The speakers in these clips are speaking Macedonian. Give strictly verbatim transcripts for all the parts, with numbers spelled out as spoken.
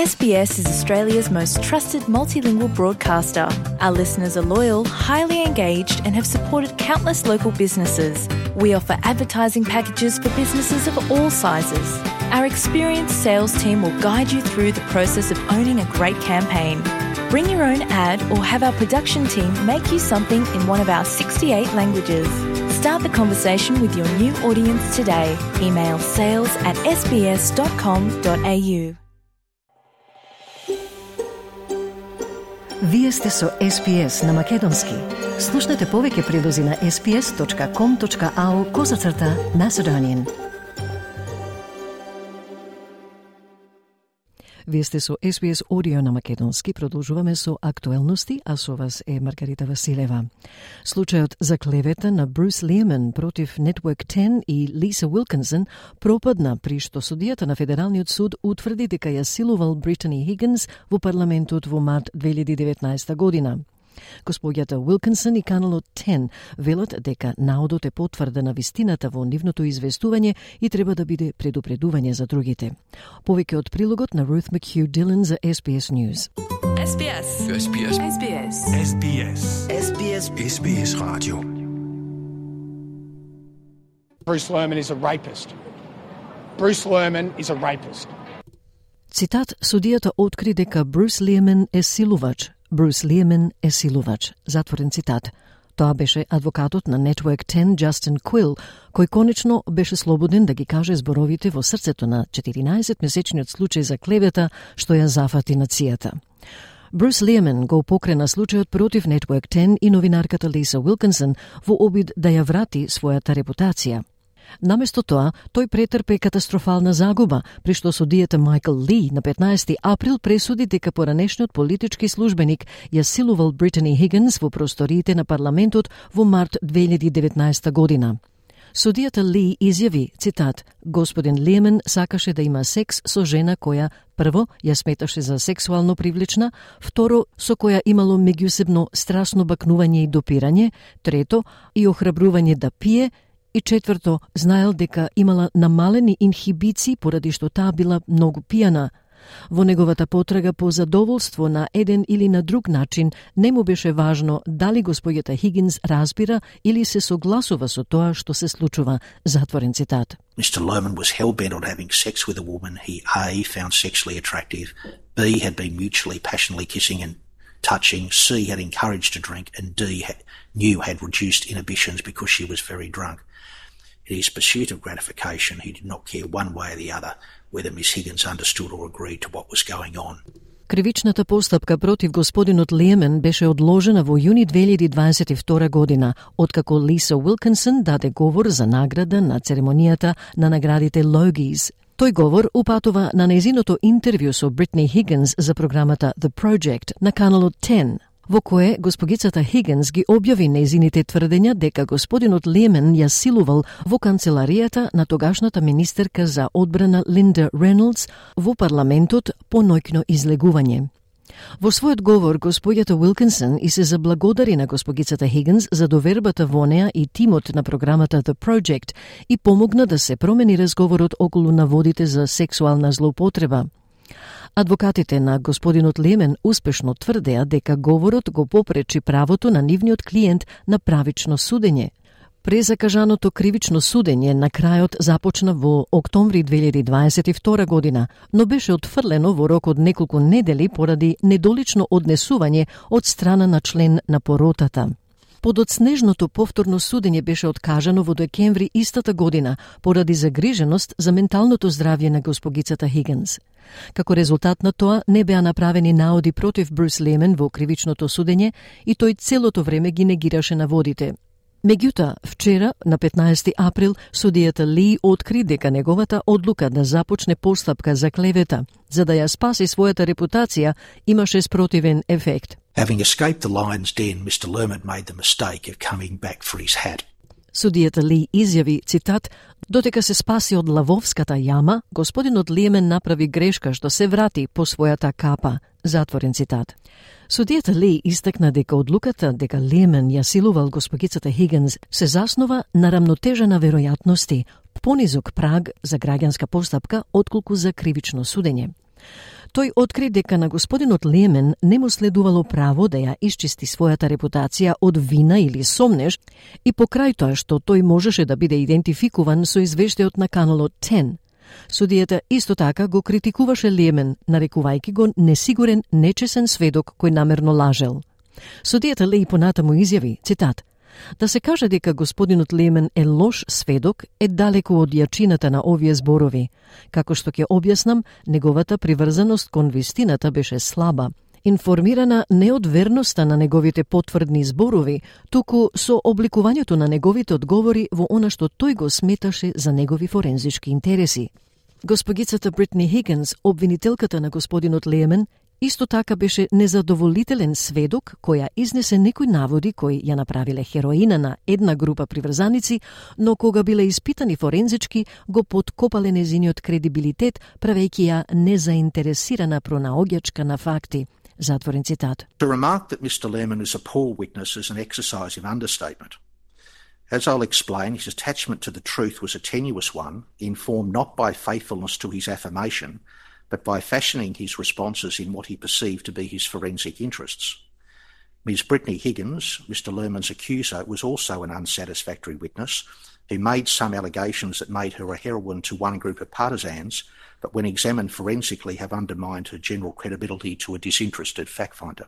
S B S is Australia's most trusted multilingual broadcaster. Our listeners are loyal, highly engaged, and have supported countless local businesses. We offer advertising packages for businesses of all sizes. Our experienced sales team will guide you through the process of owning a great campaign. Bring your own ad or have our production team make you something in one of our sixty-eight languages. Start the conversation with your new audience today. Email sales at s b s dot com dot a u. Вие сте со Ес Би Ес на Македонски. Слушнете повеќе прилози на ес би ес точка ком точка ау козацрта Macedonian. Вие сте со Ес Би Ес Audio на Македонски. Продолжуваме со актуелности, а со вас е Маргарита Василева. Случајот за клевета на Брус Лиеман против Network ten и Лиса Уилкинсон пропадна при што судијата на Федералниот суд утврди дека ја силувал Британи Хигинс во парламентот во март две илјади и деветнаесета година. Господјата Уилкинсон и каналот ten велат дека наодот е потврда на вистината во нивното известување и треба да биде предупредување за другите. Повеќе од прилогот на Ruth McHugh Dillon за Ес Би Ес News. Ес Би Ес. Ес Би Ес. Ес Би Ес. Ес Би Ес. Ес Би Ес. Ес Би Ес Radio. Bruce Lerman is a rapist. Bruce Lerman is a rapist. Цитат: судијата откри дека Брус Лиеман е силувач. Брус Лиеман е силувач. Затворен цитат. Тоа беше адвокатот на Network ten, Justin Quill, кој конечно беше слободен да ги каже зборовите во срцето на четиринаесетмесечниот случај за клевета што ја зафати нацијата. Брус Лиеман го покрена случајот против Network ten и новинарката Лиса Уилкинсон во обид да ја врати својата репутација. Наместо тоа, тој претрпе катастрофална загуба, при што судијата Майкл Ли на петнаесети април пресуди дека поранешниот политички службеник ја силувал Британи Хигинс во просториите на парламентот во март две илјади и деветнаесета година. Судијата Ли изјави, цитат: господин Лиеман сакаше да има секс со жена која, прво, ја сметаше за сексуално привлечна, второ, со која имало меѓусебно страсно бакнување и допирање, трето, и охрабрување да пие, и четврто, знаел дека имала намалени инхибиции поради што таа била многу пијана. Во неговата потрага по задоволство на еден или на друг начин не му беше важно дали господјата Хигинс разбира или се согласува со тоа што се случува. Затворен цитат. Mister Lerman was hell-bent on having sex with a woman he A. found sexually attractive, B. had been mutually passionately kissing and touching, C. had encouraged to drink, and D. had, knew had reduced inhibitions because she was very drunk. In his pursuit of gratification, he did not care one way or the other whether Miss Higgins understood or agreed to what was going on. Кривичната постапка против господинот Лиеман беше одложена во јуни две илјади дваесет и втора година, откако Лиса Уилкинсон даде говор за награда на церемонијата на наградите Логиes. Тој говор упатува на нејзиното интервју со Бритни Хигинс за програмата The Project на каналот ten, во кое госпогицата Хигинс ги објави нејзините тврдења дека господинот Лиеман ја силувал во канцеларијата на тогашната министерка за одбрана Линда Рейнолдс во парламентот по ноќно излегување. Во својот говор, господјата Уилкинсон и се заблагодари на госпогицата Хигинс за довербата во неа и тимот на програмата The Project и помогна да се промени разговорот околу наводите за сексуална злоупотреба. Адвокатите на господинот Лиеман успешно тврдеа дека говорот го попречи правото на нивниот клиент на правично судење. Презакажаното кривично судење на крајот започна во октомври две илјади дваесет и втора година, но беше отфрлено во рок од неколку недели поради недолично однесување од страна на член на поротата. Подоцнежното повторно судење беше откажано во декември истата година поради загриженост за менталното здравје на госпогицата Хигинс. Како резултат на тоа не беа направени наоди против Брус Лиеман во кривичното судење и тој целото време ги негираше наводите. Меѓутоа, вчера, на петнаесети април, судијата Ли откри дека неговата одлука да започне постапка за клевета, за да ја спаси својата репутација, имаше спротивен ефект. Having escaped the lion's den, Mister Lerman made the mistake of coming back for his hat. Судијата Ли изјави, цитат: "Дотека се спаси од лавовската јама, господинот Лиеман направи грешка што се врати по својата капа." Затворен цитат. Судијата Ли истакна дека одлуката дека Лиеман ја силувал госпогицата Хигинс се заснова на рамнотежа на веројатности, понизок праг за граѓанска постапка отколку за кривично судење. Тој откри дека на господинот Лемен не му следувало право да ја исчисти својата репутација од вина или сомнеж и покрај тоа што тој можеше да биде идентификуван со извештајот на каналот десет. Судијата исто така го критикуваше Лемен, нарекувајќи го несигурен, нечесен сведок кој намерно лажел. Судијата Леј понатаму изјави, цитат, да се каже дека господинот Лемен е лош сведок е далеко од јачината на овие зборови. Како што ќе објаснам, неговата приврзаност кон вистината беше слаба, информирана не од верноста на неговите потврдни зборови, туку со обликувањето на неговите одговори во она што тој го сметаше за негови форензички интереси. Госпогицата Бритни Хигинс, обвинителката на господинот Лемен, исто така беше незадоволителен сведок која изнесе некои наводи кои ја направиле хероина на една група приврзаници, но кога биле испитани форензички, го подкопале незиниот кредибилитет, правејќи ја незаинтересирана пронаоѓачка на факти. Затворен цитат. To remark that Mister Lehman is a poor witness is an exercise in understatement. As I'll explain, his attachment to the truth was a tenuous one, informed not by faithfulness to his affirmation, but by fashioning his responses in what he perceived to be his forensic interests. Miz Brittany Higgins, Mister Lehman's accuser, was also an unsatisfactory witness who made some allegations that made her a heroine to one group of partisans, but when examined forensically have undermined her general credibility to a disinterested fact-finder.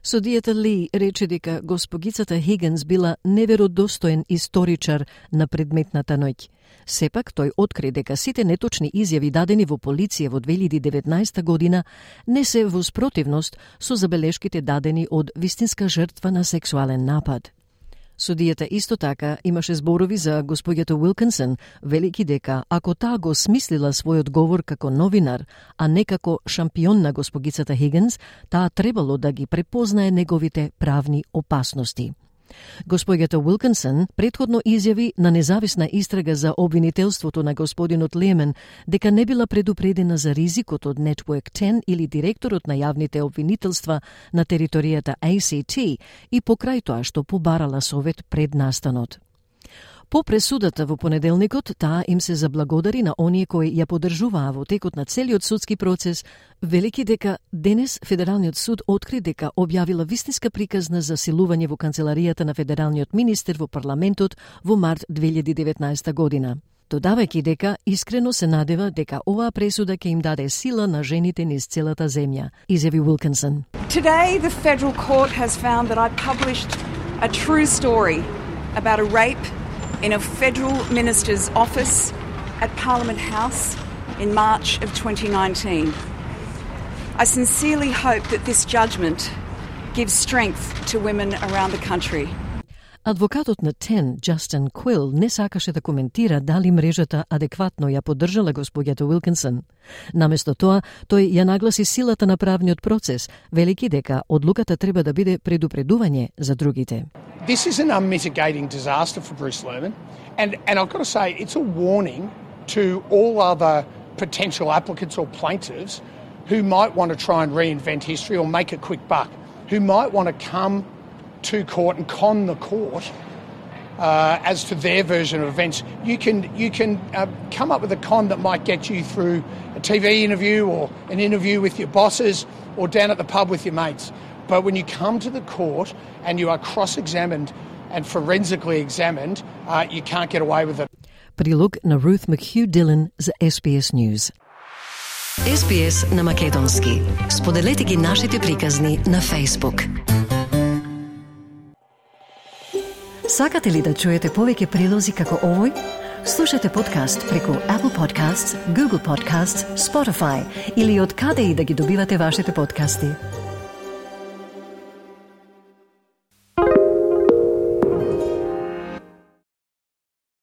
Судијата Ли рече дека госпогицата Хигинс била неверодостоен историчар на предметната ноќ. Сепак, тој откри дека сите неточни изјави дадени во полиција во две илјади и деветнаесета година не се во спротивност со забелешките дадени од вистинска жртва на сексуален напад. Судијата исто така имаше зборови за господјата Уилкинсон, велики дека ако таа го смислила својот говор како новинар, а не како шампион на госпогицата Хигинс, таа требало да ги препознае неговите правни опасности. Господјата Уилкинсон претходно изјави на независна истрага за обвинителството на господинот Лемен дека не била предупредена за ризикот од Network десет или директорот на јавните обвинителства на територијата А Си Ти и покрај тоа што побарала совет пред настанот. По пресудата во понеделникот, таа им се заблагодари на оние кои ја поддржуваа во текот на целиот судски процес, велики дека денес Федералниот суд откри дека објавила вистинска приказна за силување во канцеларијата на федералниот министер во парламентот во март две илјади и деветнаесета година. Додавајќи дека искрено се надева дека оваа пресуда ќе им даде сила на жените низ целата земја, изјави Уилкинсон. Today the federal court has found that I published a true story about a rape in a federal minister's office at Parliament House in March of twenty nineteen. I sincerely hope that this judgment gives strength to women around the country. Адвокатот на десет, Джастин Квил, не сакаше да коментира дали мрежата адекватно ја поддржала господјата Уилкинсон. Наместо тоа, тој ја нагласи силата на правниот процес, велики дека одлуката треба да биде предупредување за другите. This is an unmitigating disaster for Bruce Lerman, and, and I've got to say, it's a warning to all other potential applicants or plaintiffs who might want to try and reinvent history or make a quick buck, who might want to come to court and con the court uh, as to their version of events. You can you can uh, come up with a con that might get you through a T V interview or an interview with your bosses or down at the pub with your mates. But when you come to the court and you are cross-examined and forensically examined, uh, you can't get away with it. Прилог на Ruth McHugh Dillon за Ес Би Ес News. Ес Би Ес на македонски. Споделете ги нашите приказни на Facebook. Сакате ли да чуете повеќе прилози како овој? Слушате подкаст преку Apple Podcasts, Google Podcasts, Spotify или од каде и да ги добивате вашите подкасти.